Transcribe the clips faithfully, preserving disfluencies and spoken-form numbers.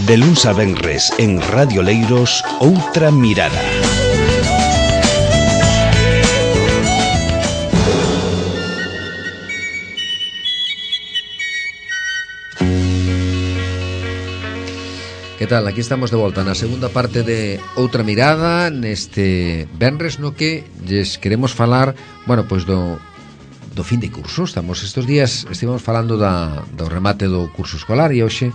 De luns a venres en Radio Leiros, Outra Mirada. Que tal? Aquí estamos de volta na segunda parte de Outra Mirada, neste venres no que lles queremos falar, bueno, pois do do fin de curso. Estamos estes días, estivemos falando da, do remate do curso escolar e hoxe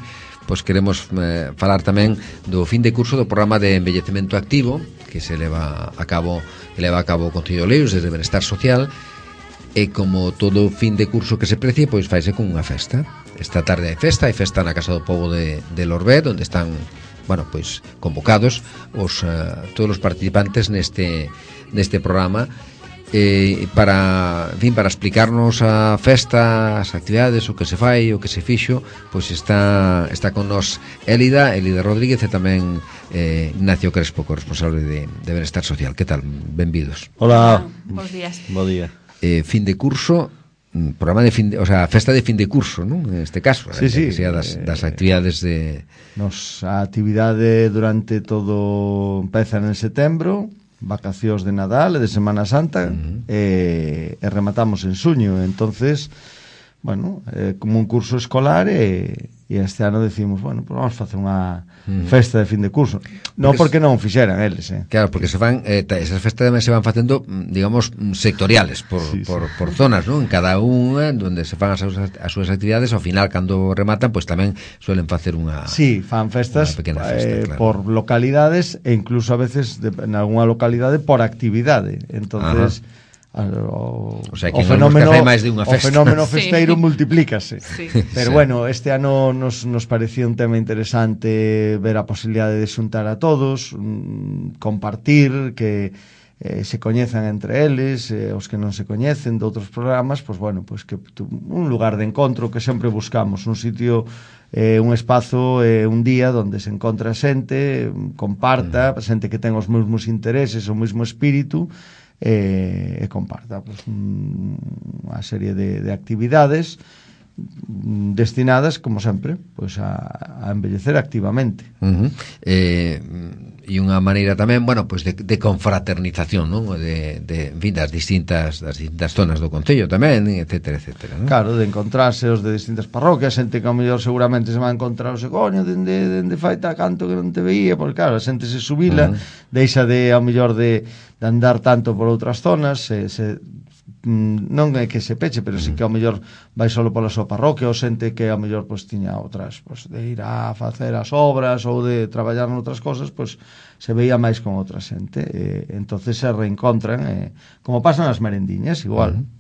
pois queremos eh, falar tamén do fin de curso do programa de envellecemento activo que se leva a cabo, que leva a cabo o Concello de Oleiros desde Benestar Social, e como todo fin de curso que se precie, pois faise con unha festa. Esta tarde hai festa, hai festa na Casa do Pobo de, de Lorbet, onde están, bueno, pois convocados os uh, todos os participantes neste neste programa. Eh, para, en fin, para explicarnos a festa, as actividades, o que se fai, o que se fixo, pois está está con nos Élida, Élida Rodríguez e tamén eh, Ignacio Crespo, corresponsable de, de Benestar Social. Que tal? Benvidos. Hola. Bos días. Bo día. Eh, fin de curso, programa de fin de, o sea, festa de fin de curso, non? En este caso, sí, sí, que sea das, das actividades de Nos a actividade durante todo empeza en setembro, vacacións de Nadal e de Semana Santa, uh-huh. e, e rematamos en suño. Entonces, bueno, é como un curso escolar e, e este ano decimos, bueno, pues vamos facer unha uh-huh. festa de fin de curso. Non porque, porque non fixeran eles, eh. Claro, porque se van eh, esas festas tamén se van facendo, digamos, sectoriales por, sí, por, sí. por zonas, ¿no? En cada unha onde se fan as, as súas actividades, ao final cando rematan, pois pues, tamén suelen facer unha Sí, fan festas festa, eh, claro. por localidades e incluso a veces de, en algunha localidade por actividade. Entonces, ajá. O, o, sea, o fenómeno máis de unha festa. O fenómeno festeiro sí. multiplícase. Sí. Pero sí. bueno, este ano nos, nos parecía un tema interesante ver a posibilidade de xuntar a todos, mmm, compartir, que eh, se coñezan entre eles, eh, os que non se coñecen de outros programas, pois bueno, pois que un lugar de encontro que sempre buscamos, un sitio, eh, un espazo, eh, un día onde se encontra xente, comparta, mm. xente que ten os mesmos intereses, o mesmo espírito, e, e comparta pues, unha serie de, de actividades destinadas, como sempre, pues, a, a envellecer activamente. Uh-huh. Eh, e unha maneira tamén, bueno, pues de, de confraternización, non? De, de, en fin, das distintas das distintas zonas do concello tamén, etcétera, etcétera, non? Claro, de encontrarse os de distintas parroquias, xente que ao mellor seguramente se va a encontrar o coño, dende, dende faita canto que non te veía, porque claro, a xente se subila, uh-huh. deixa de, ao mellor de, de andar tanto por outras zonas, se, se non é que se peche, pero sí que ao mellor vai solo pola súa parroquia, ou xente que ao mellor pois tiña outras, pois de ir a facer as obras ou de traballar noutras cosas, pois se veía máis con outra xente, e entonces se reencontran, e, como pasan as merendiñas, igual. Uh-huh.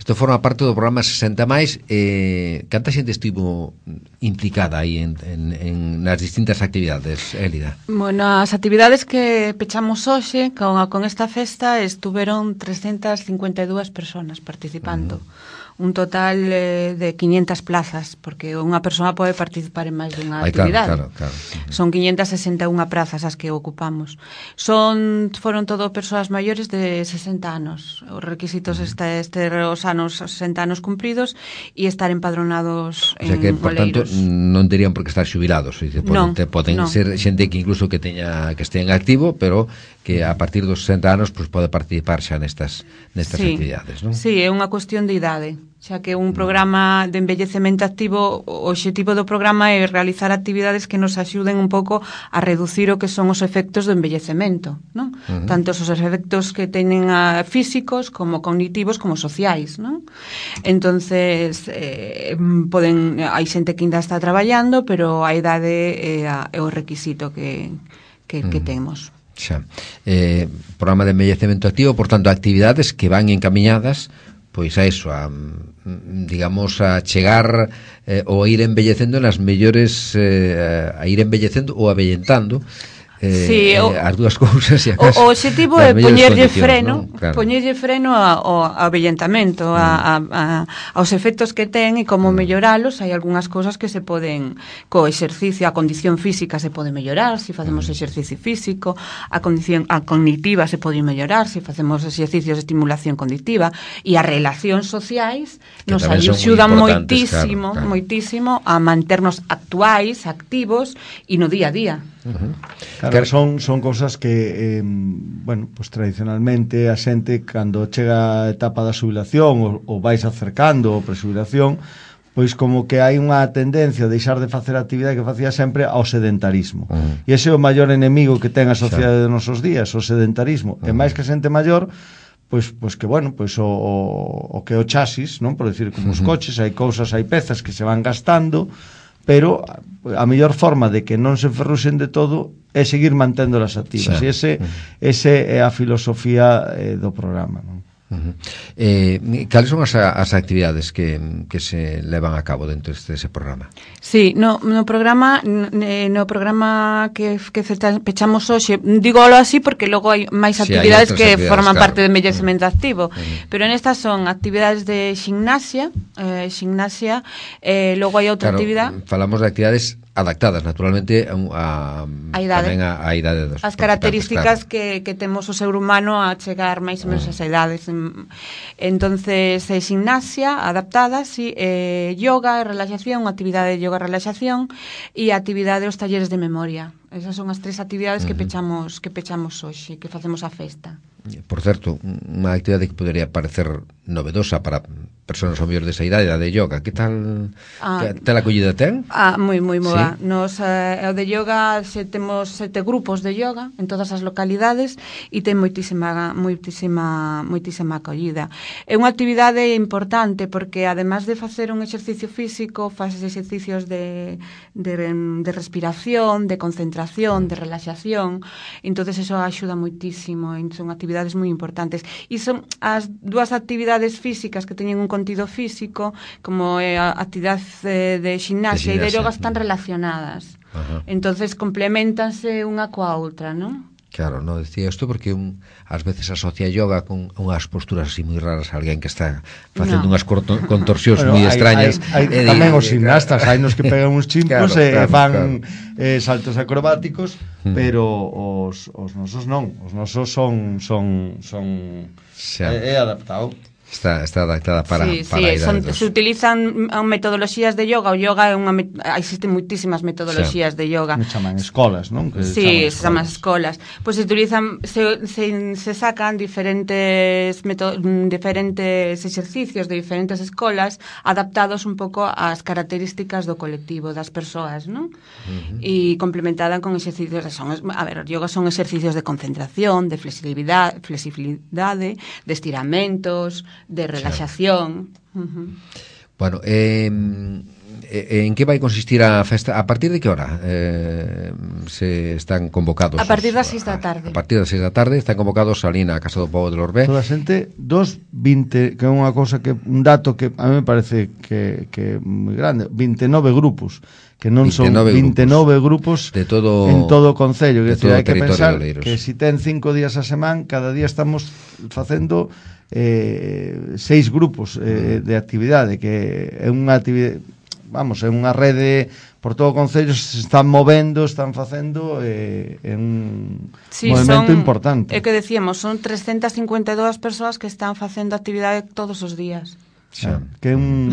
Isto forma parte do programa sesenta máis. Eh, canta xente estivo implicada aí en, en, en nas distintas actividades, Élida? Bueno, as actividades que pechamos hoxe con, con esta festa estuveron trescentas cincuenta e dúas persoas participando. Uh-huh. Un total eh, de quinientas plazas, porque unha persoa pode participar en máis dunha Ay, actividade. Claro, claro, claro. Son quinientas sesenta e unha plazas as que ocupamos. Son foron todo persoas maiores de sesenta anos. Os requisitos uh-huh. este, este os anos sesenta anos cumpridos e estar empadronados en Oleiros. O sea que, por tanto, non terían por que estar xubilados. Dice, poden, non, te, poden non. ser xente que incluso que teña que estea en activo, pero que a partir dos sesenta anos pues, pode participar xa nestas nestas sí. actividades, non? Sí, é unha cuestión de idade. Xa que un programa de envellecemento activo, o obxectivo do programa é realizar actividades que nos axuden un pouco a reducir o que son os efectos do envellecemento, non? Uh-huh. Tanto os efectos que teñen a físicos como cognitivos como sociais, non? Entonces, eh, poden hai xente que ainda está traballando, pero a idade é, a, é o requisito que, que, uh-huh. que temos. Xa. Eh, programa de envellecemento activo, por tanto, actividades que van encamiñadas pois a eso, a, digamos, a chegar eh, ou a ir embellecendo nas mellores, eh, a ir embellecendo ou abellentando eh, sí, eh, o, as dúas cousas e o, o objetivo é poñerlle freno, ¿no? Claro. poñerlle freno ao, ao avellentamento, mm. a, a, a, aos efectos que ten e como mm. melloralos. Hai algunhas cousas que se poden, co exercicio, a condición física se pode mellorar se facemos mm. exercicio físico, a condición a cognitiva se pode mellorar se facemos exercicios de estimulación cognitiva, e as relacións sociais que nos axudan moitísimo, claro, claro. moitísimo a manternos actuais, activos e no día a día. Uh-huh. Claro, son, son cousas que eh, bueno, pues tradicionalmente a xente cando chega a etapa da xubilación ou, ou vais acercando a presubilación, pois como que hai unha tendencia a deixar de facer a actividade que facía sempre ao sedentarismo. Uh-huh. E ese é o maior enemigo que ten a sociedade de nosos días, o sedentarismo. Uh-huh. E máis que xente maior, pois pois que bueno, pois o, o, o que o chasis, non, por decir, como os coches, hai cousas, hai pezas que se van gastando, pero a mellor forma de que non se enferruxen de todo é seguir manténdolas activas. Sí. E ese, ese é a filosofía eh, do programa, non? Uh-huh. Eh, cales son as, as actividades que, que se levan a cabo dentro deste programa? Sí, no, no programa no programa que, que pechamos hoxe, dígolo así porque logo hai máis sí, actividades hai que actividades, forman claro. parte do envellecemento uh-huh. activo, uh-huh. pero nestas son actividades de gimnasia, eh, gimnasia, eh, logo hai outra claro, actividade. Falamos de actividades adaptadas naturalmente a, a, a idade. tamén a, a idade dos as características claro. que, que temos o ser humano a chegar máis ou menos uh-huh. ás idades. Entonces, eh, gimnasia adaptada, sí, eh, yoga e relaxación, actividade de yoga e relaxación e actividade dos talleres de memoria. Esas son as tres actividades uh-huh. que pechamos que pechamos hoxe, que facemos a festa. Por certo, unha actividade que podería parecer novedosa para persoas ao mellor desa idade, a de yoga. Que tal ah, que tal acollida ten? Ah, moi, moi boa. ¿Sí? Nos, eh, o de yoga, se temos sete grupos de yoga en todas as localidades e ten moitísima, moitísima, moitísima acollida. É unha actividade importante porque, además de facer un exercicio físico, faces exercicios de, de, de respiración, de concentración, de relaxación. Entonces eso axuda moitísimo. Son actividades moi importantes. E son as dúas actividades físicas que teñen un contido físico, como é a actividade de gimnasia e de yoga, están relacionadas. Ajá. Entonces complementanse unha coa outra, non? Claro, no decía isto porque un, ás veces asocia yoga con unhas posturas así moi raras, alguén que está facendo no. unhas contorsións bueno, moi extrañas. Hai, hai, hai tamén os gimnastas, hai nos que pegan uns chimpos claro, e claro, fan claro. Eh, saltos acrobáticos, mm. pero os, os nosos non, os nosos son son son é, é adaptado. Está, está adaptada para, sí, para sí, son, se utilizan metodoloxías de yoga. O yoga é unha existen moitísimas metodoloxías sí. de yoga. Me chaman escolas, non? Que sí, se chaman escolas. Pois pues se utilizan se, se, se sacan diferentes meto, diferentes exercicios de diferentes escolas adaptados un pouco ás características do colectivo, das persoas, non? Uh-huh. E complementada con exercicios son, a ver, o yoga son exercicios de concentración, de flexibilidade, flexibilidade, de estiramentos, de relaxación. Uh-huh. Bueno, eh, en que vai consistir a festa? A partir de que hora eh, se están convocados? A partir das seis da tarde. A partir das seis da tarde están convocados ali na Casa do Pobo de Lorbé. Toda a xente, dos vinte, que é unha cosa que un dato que a mí me parece que que é moi grande, vinte e nove grupos, que non son vinte e nove grupos, grupos de todo, en todo o concello, que decir, hai que pensar que se si ten cinco días a semana, cada día estamos facendo eh, seis grupos eh, de actividade, que é unha actividade, vamos, é unha rede por todo o concello, se están movendo, están facendo eh, é un sí, movimento son, importante. É que decíamos, son trescentas cincuenta e dúas persoas que están facendo actividade todos os días. Sí. Que un...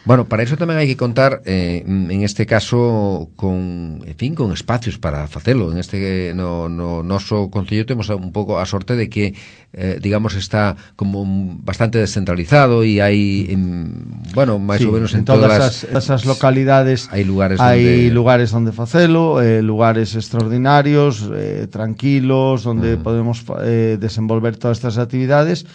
Bueno, para iso tamén hai que contar eh, en este caso con, en fin, con espacios para facelo. En este no, no noso concello temos un pouco a sorte de que eh, digamos está como bastante descentralizado e hai en, bueno, máis sí, ou menos en, en todas, todas as, as localidades hai lugares hai donde lugares onde facelo, eh, lugares extraordinarios, eh, tranquilos, onde mm. podemos eh, desenvolver todas estas actividades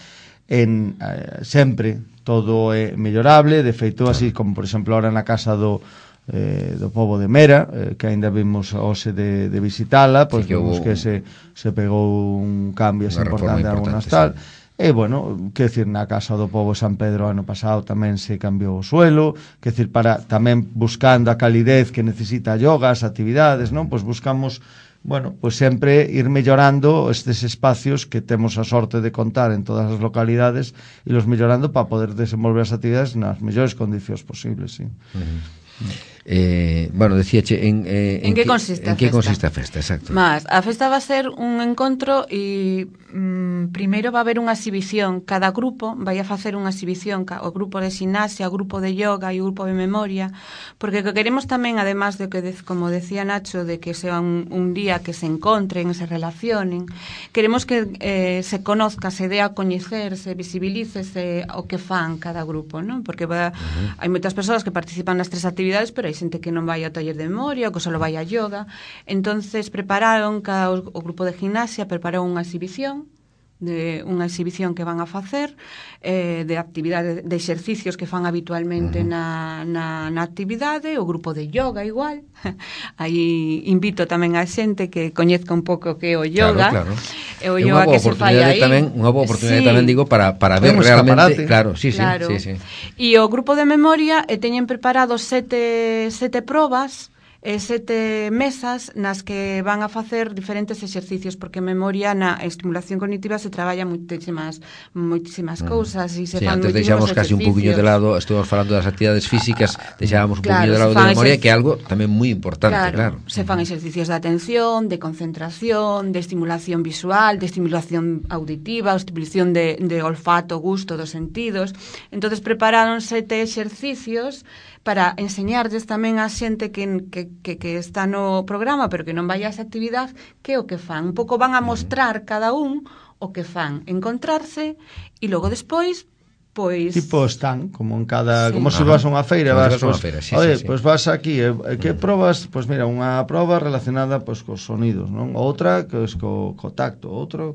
en eh, sempre todo é mellorable, de feito así como por exemplo ahora na casa do eh, do Pobo de Mera, eh, que aínda vimos hoxe de, de visitala, pois sí, que vimos hubo, que se, se pegou un cambio así importante en algunas tal, sí. E bueno, que decir, na casa do Pobo de San Pedro ano pasado tamén se cambiou o suelo, que decir, para tamén buscando a calidez que necesita yoga, as actividades, non? Pois buscamos bueno, pues sempre ir mellorando estes espacios que temos a sorte de contar en todas as localidades e los mellorando para poder desenvolver as actividades nas mellores condicións posibles, sí. Uh-huh. Eh, bueno, decíache en, eh, en, en que consiste en a que festa? consiste a festa, exacto. Mas, a festa va a ser un encontro e mm, primeiro va a haber unha exhibición. Cada grupo vai a facer unha exhibición, o grupo de gimnasia, o grupo de yoga e o grupo de memoria, porque que queremos tamén, además de que, como decía Nacho, de que sea un, un día que se encontren, se relacionen, queremos que eh, se conozca, se dé a coñecer, se visibilice se, o que fan cada grupo, ¿no? Porque va, uh-huh. hai moitas persoas que participan nas tres actividades, pero hai xente que non vai ao taller de memoria, que só vai a yoga. Entonces prepararon, cada o, o grupo de gimnasia preparou unha exhibición, de unha exhibición que van a facer eh, de actividades, de exercicios que fan habitualmente uh-huh. na, na, na actividade, o grupo de yoga igual. Aí invito tamén a xente que coñezca un pouco que é o yoga. Claro, claro. E o yoga que se fai aí. Tamén, unha boa oportunidade sí. tamén, digo, para, para ver realmente. Claro, sí, sí, claro. sí, sí. E o grupo de memoria e teñen preparados sete, sete probas e sete mesas nas que van a facer diferentes exercicios, porque memoria na estimulación cognitiva se traballa moitísimas moitísimas cousas e se sí, fan antes deixamos casi un poquinho de lado, estuvamos falando das actividades físicas, deixábamos un claro, poquinho de lado de memoria, exerc... que é algo tamén moi importante, claro. claro. Se fan exercicios de atención, de concentración, de estimulación visual, de estimulación auditiva, estimulación de, de olfato, gusto dos sentidos. Entonces prepararon sete exercicios para enseñarles tamén a xente que, que, que, que está no programa pero que non vai a esa actividade que é o que fan. Un pouco van a mostrar cada un o que fan, encontrarse e logo despois pois tipo están, como en cada sí. como se vas a unha feira, vas, vas, vas pues, feira, sí, oye, sí, sí. pues vas aquí, eh, que probas? Pues mira, unha proba relacionada pues cos sonidos, non? Outra que es co, co tacto, outro.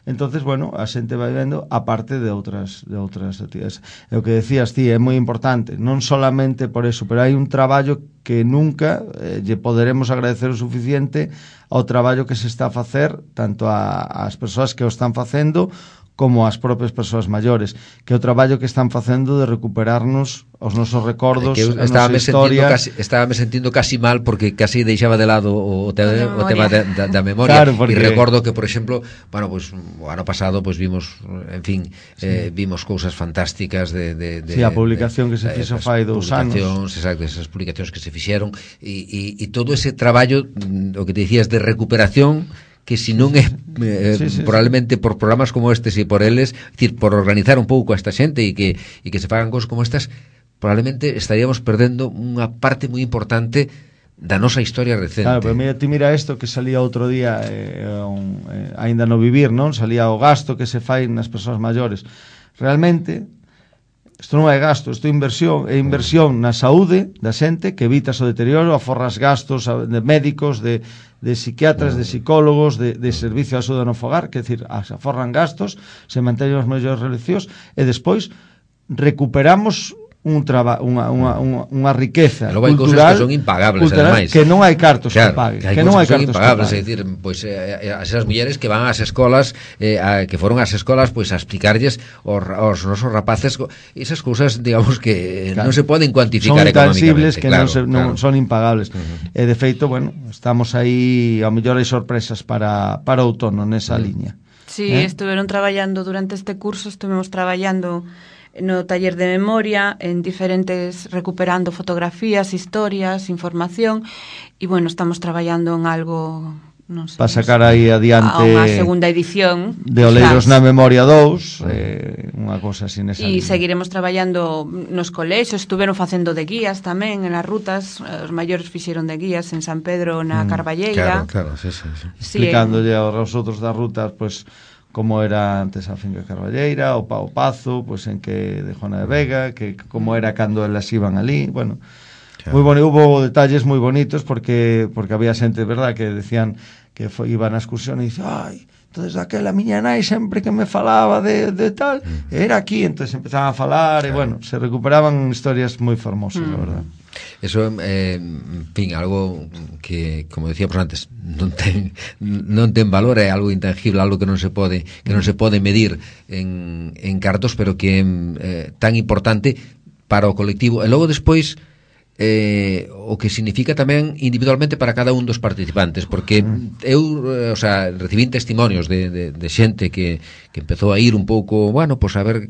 Entonces, bueno, a xente vai vendo a parte de outras de outras actividades. E o que decías ti é moi importante, non solamente por eso, pero hai un traballo que nunca eh, lle poderemos agradecer o suficiente ao traballo que se está a facer tanto a, as persoas que o están facendo como as propias persoas maiores, que o traballo que están facendo de recuperarnos os nosos recordos, que a nosa historia. Casi, estábame sentindo casi mal porque casi deixaba de lado o, te, o tema da, da, da memoria. Claro, porque... E recordo que, por exemplo, bueno, pues, o ano pasado pues, vimos, en fin, sí. eh, vimos cousas fantásticas de... de, de sí, a publicación de, que se fixo de, fai dous anos. Exacto, esas publicacións que se fixeron e, e, e todo ese traballo, o que te dicías, de recuperación, que si non é eh, sí, sí, probablemente sí. por programas como estes e por eles, decir, por organizar un pouco a esta xente e que, e que se fagan cosas como estas, probablemente estaríamos perdendo unha parte moi importante da nosa historia recente. Claro, pero mira, ti mira isto que salía outro día eh, un, eh, aínda no vivir, non? Salía o gasto que se fai nas persoas maiores. Realmente isto non é gasto, isto é inversión, é inversión na saúde da xente, que evitas o deterioro, aforras gastos de médicos, de, de psiquiatras, de psicólogos, de, de servicio de axuda no fogar, que é dicir, se aforran gastos, se manteñen os mellores relacións, e despois recuperamos un traba, unha, unha, unha, unha riqueza cultural, hai cousas que son impagables, ademais, que non hai cartos claro, que paguen, que, que non hai cartos impagables, que é dicir, pois eh, esas mulleres que van ás escolas, eh, a, que foron ás escolas pois a explicarlles aos, aos nosos rapaces esas cousas, digamos que claro, non se poden cuantificar son intangibles que claro, non, se, non claro. son impagables. Uh-huh. E de feito, bueno, estamos aí, ao mellor hai sorpresas para para outono nesa uh-huh. liña. Sí, eh? estuveron traballando durante este curso, estuvemos traballando no taller de memoria en diferentes, recuperando fotografías, historias, información e bueno, estamos traballando en algo, non sei, para sacar aí adiante a unha segunda edición de Oleiros na Memoria dous, eh, unha cosa así nesa e línea. seguiremos traballando nos colexios, estuveron facendo de guías tamén en as rutas, os maiores fixeron de guías en San Pedro na mm, Carballeira, claro, claro, sí, sí, sí. explicándolle aos outros das rutas, pois pues, como era antes a finca Carballeira, o Pao Pazo, pues en que de Juana de Vega, que como era cando elas iban ali, bueno, claro. Moi bonito, hubo detalles moi bonitos porque porque había xente, verdad, que decían que foi, iban a excursión e dice, ai, entonces aquela miña nai sempre que me falaba de, de tal, mm. era aquí, entonces empezaban a falar, claro. E bueno, se recuperaban historias moi fermosas, mm. la verdad. Eso, eh, en fin, algo que, como decíamos antes, non ten, non ten valor, é algo intangible, algo que non se pode que non se pode medir en, en cartos, pero que é eh, tan importante para o colectivo. E logo despois, eh, o que significa tamén individualmente para cada un dos participantes, porque eu, eh, o sea, recibín testimonios de, de, de xente que, que empezou a ir un pouco, bueno, pues a ver,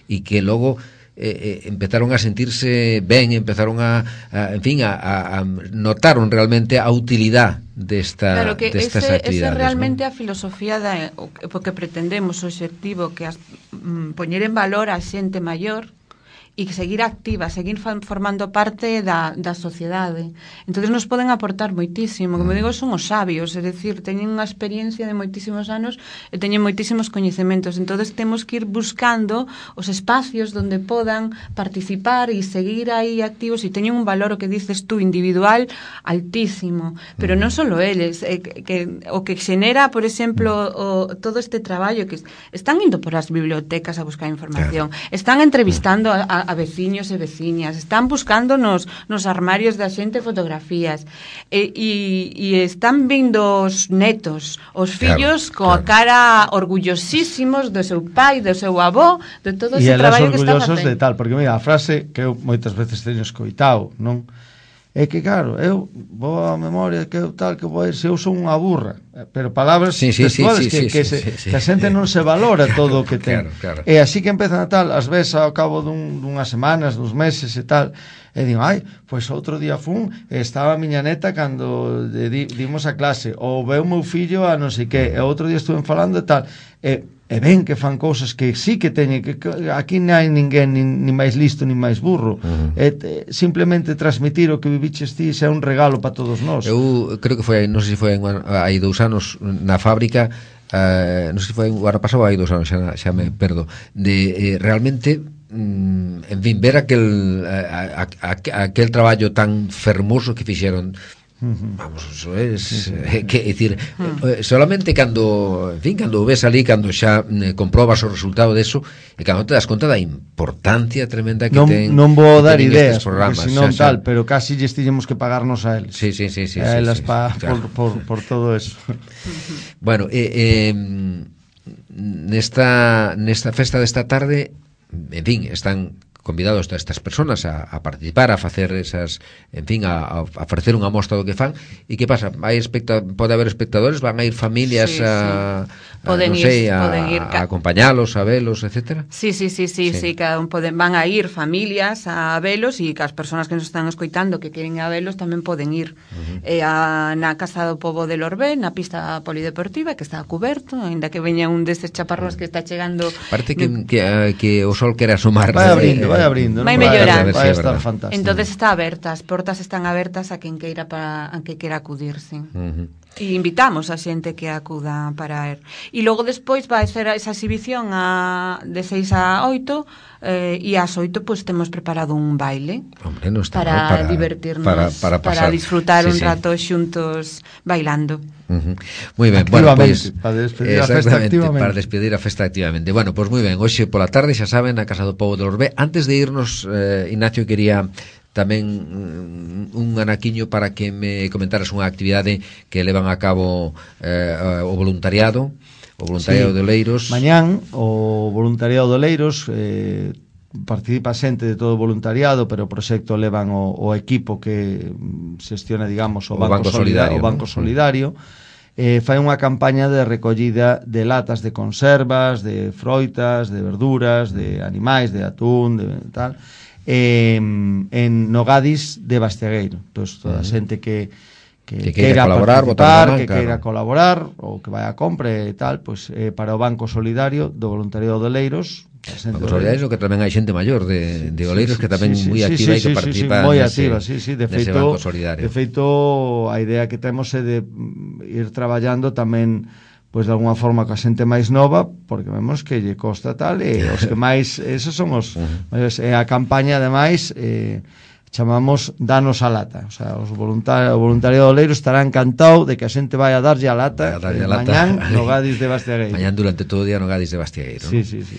e que logo eh, eh, empezaron a sentirse ben, empezaron a, a en fin, a, a, a notaron realmente a utilidade desta, claro que destas ese, actividades. Esa realmente ¿no? A filosofía da, o, porque pretendemos o obxectivo que as, mm, poñer en valor a xente maior e seguir activa, seguir formando parte da, da sociedade. Entonces nos poden aportar moitísimo, como digo, son os sabios, é dicir, teñen unha experiencia de moitísimos anos e teñen moitísimos coñecementos. Entonces temos que ir buscando os espacios donde podan participar e seguir aí activos e teñen un valor, o que dices tú, individual altísimo, pero non só eles, eh, que o que xenera, por exemplo, o, todo este traballo que están indo por as bibliotecas a buscar información, claro. Están entrevistando a, a a veciños e veciñas, están buscando nos, nos armarios da xente fotografías e, e, e están vindo os netos, os fillos claro, coa claro. cara orgullosísimos do seu pai, do seu avó, de todo ese traballo que está facendo. E eles orgullosos de tal, porque mira, a frase que eu moitas veces teño escoitado, non? É que claro, eu vou a memoria que eu tal, que vou a ir, se eu son unha burra, pero palabras sí, sí, textuales sí, que, sí, que, sí, se, sí, sí. que a xente non se valora todo o que ten. Claro, claro. E así que empezan a tal, ás veces ao cabo dun, dunhas semanas, dos meses e tal, e digo, ai, pois outro día fun, estaba a miña neta cando de, di, dimos a clase, ou veu meu fillo a non sei que, e outro día estuven falando e tal, e e ven que fan cousas que sí que teñen que, que aquí non hai ninguén nin, nin máis listo nin máis burro. Uh-huh. E te, simplemente transmitir o que viviches ti é un regalo para todos nós. Eu creo que foi, non sei se foi hai dous anos na fábrica, uh, non sei se foi o ano pasado ou hai dous anos, xa, xa me perdo, de eh, realmente mm, en fin, ver aquel a, a, a, aquel traballo tan fermoso que fixeron. Uh-huh. Vamos, eso es sí, sí, sí. Eh, que decir, uh-huh. eh, solamente cando, en fin, cando ves ali, cando xa eh, comprobas o resultado deso, e cando te das conta da importancia tremenda que non, ten. Non vou dar ideas, programas, porque senón xa, tal, xa. Pero casi lles tiñemos que pagarnos a eles. Sí, sí, sí, sí, a elas sí, sí, pa, sí, claro. por, por, por todo eso. Bueno, eh, eh, nesta nesta festa desta tarde, en fin, están convidados a estas personas a, a participar, a facer esas, en fin, a, a ofrecer unha mostra do que fan. E que pasa? Hai especta, pode haber espectadores, van a ir familias sí, a, sí. a non sei, a, ir, a acompañalos, a velos, etcétera. Sí, sí, sí, sí, sí, sí, cada un poden, van a ir familias a velos e que as persoas que nos están escoitando que queren a velos tamén poden ir. Uh-huh. eh, a, na Casa do Pobo de Lorbé, na pista polideportiva, que está cuberto, ainda que veña un destes chaparrós que está chegando. Parece que, no... que, que o sol quere asomar. Vai abrindo, vai abrindo. Vai mellorando. Vai estar fantástico. Entonces está aberta, as portas están abertas a quen queira para a quen queira acudir, sí. Uh-huh. E invitamos a xente que acuda para ir. E logo despois vai ser esa exhibición a, de seis a oito eh, e ás oito pois temos preparado un baile. Hombre, no está para, mal, para divertirnos, para, para, para disfrutar sí, un sí. rato xuntos bailando. Uh-huh. Moi ben, bueno, pois para despedir a festa activamente. Para despedir a festa activamente. Bueno, pois moi ben, hoxe pola tarde xa saben na Casa do Pobo de Lorbé. Antes de irnos, eh, Ignacio quería tamén un anaquiño para que me comentaras unha actividade que levan a cabo eh, o voluntariado, o voluntariado sí. de Oleiros. Mañán o voluntariado de Oleiros eh, participa xente de todo o voluntariado, pero o proxecto levan o, o equipo que xestiona, digamos, o, o Banco, Banco Solidario, o Banco ¿no? Solidario. Eh, fai unha campaña de recollida de latas de conservas, de froitas, de verduras, de animais, de atún, de tal, eh, en Nogadis de Bastiagueiro. Entón, toda a xente que que, que queira colaborar, participar, man, que claro. queira colaborar ou que vai a compra e tal, pois eh, para o Banco Solidario do Voluntariado de Oleiros. Banco Solidario que tamén hai xente maior de, de Oleiros sí, sí, que tamén sí, moi activa sí, sí, e que participa sí, sí, moi activa, sí, sí, de feito, Banco Solidario. De feito, a idea que temos é de ir traballando tamén pois de alguna forma coa xente máis nova, porque vemos que lle costa tal, e os que máis, esos son os, uh-huh. é a campaña ademais eh, chamamos Danos a Lata, o sea, os voluntarios, o voluntariado de Oleiros estará encantado de que a xente vai a darlle a lata, a darlle a lata mañán no Gadis de Bastiagueiro. Mañán durante todo o día no Gadis de Bastiagueiro. Sí, ¿no? sí, sí.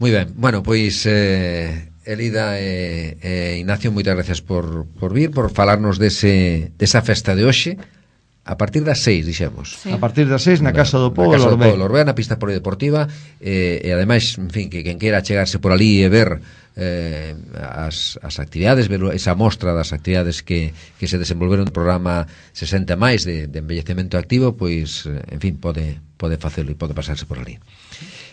Moi ben, bueno, pois eh, Elida e eh, eh, Ignacio, moitas gracias por, por vir, por falarnos dese, desa festa de hoxe. A partir das seis, dixemos. Sí. A partir das seis na Casa do Pobo de Lorbé. Lorbé, na pista polideportiva, eh, e ademais, en fin, que quen queira chegarse por ali e ver eh, as, as actividades, ver esa mostra das actividades que, que se desenvolveron no programa sesenta máis de, de envellecemento activo, pois, en fin, pode, pode facelo e pode pasarse por ali.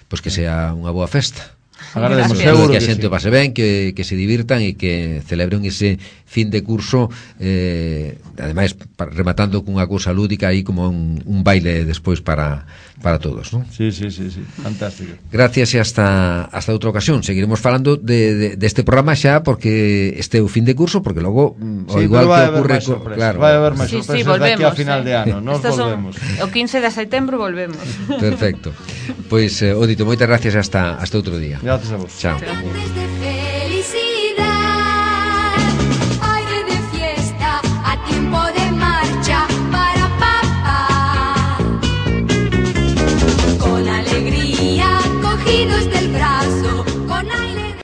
Pois que sea unha boa festa. Agradecemos, seguro que a que xente sí. o pase ben, que, que se divirtan e que celebren ese fin de curso, eh, ademais rematando cunha cousa lúdica aí como un, un baile despois para, para todos, ¿no? Sí, sí, sí, sí, fantástico. Gracias e hasta hasta outra ocasión. Seguiremos falando de, de, deste programa xa porque este é o fin de curso, porque logo sí, o igual que ocurre co, claro, vai haber máis sí, sorpresas sí, volvemos, daqui a final eh. de ano, nos Estos volvemos. Son, o quince de setembro volvemos. Perfecto. Pois, eh, Odito, moitas gracias hasta hasta outro día. Gracias a vos. Chao. Chao.